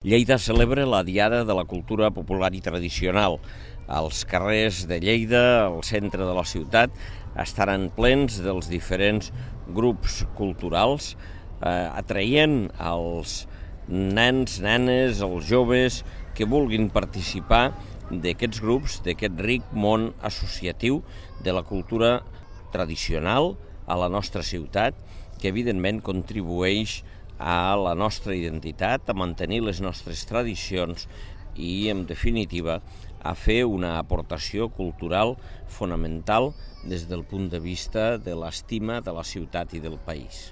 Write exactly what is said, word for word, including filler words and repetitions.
Lleida celebra la Diada de la Cultura Popular i Tradicional. Els carrers de Lleida, al centre de la ciutat, estaran plens dels diferents grups culturals, eh, atraient els nens, nenes, els joves que vulguin participar d'aquests grups, d'aquest ric món associatiu de la cultura tradicional a la nostra ciutat, que evidentment contribueix a la nostra identitat, a mantenir les nostres tradicions i, en definitiva, a fer una aportació cultural fonamental des del punt de vista de l'estima de la ciutat i del país.